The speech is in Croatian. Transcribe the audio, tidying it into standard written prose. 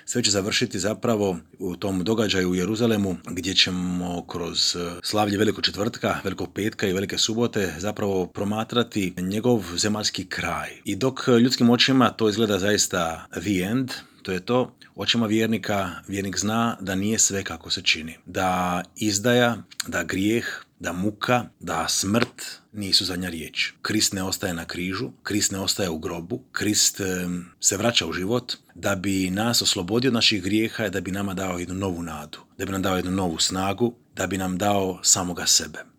Sve će završiti zapravo u tom događaju u Jeruzalemu gdje ćemo kroz slavlje Velikog četvrtka, Velikog petka i Velike subote zapravo promatrati njegov zemaljski kraj. I dok ljudskim očima to izgleda zaista the end, to je to, očima vjernika, vjernik zna da nije sve kako se čini. Da izdaja, da grijeh, da muka, da smrt nisu zadnja riječ. Krist ne ostaje na križu, Krist ne ostaje u grobu, Krist se vraća u život da bi nas oslobodio od naših grijeha i da bi nama dao jednu novu nadu, da bi nam dao jednu novu snagu, da bi nam dao samoga sebe.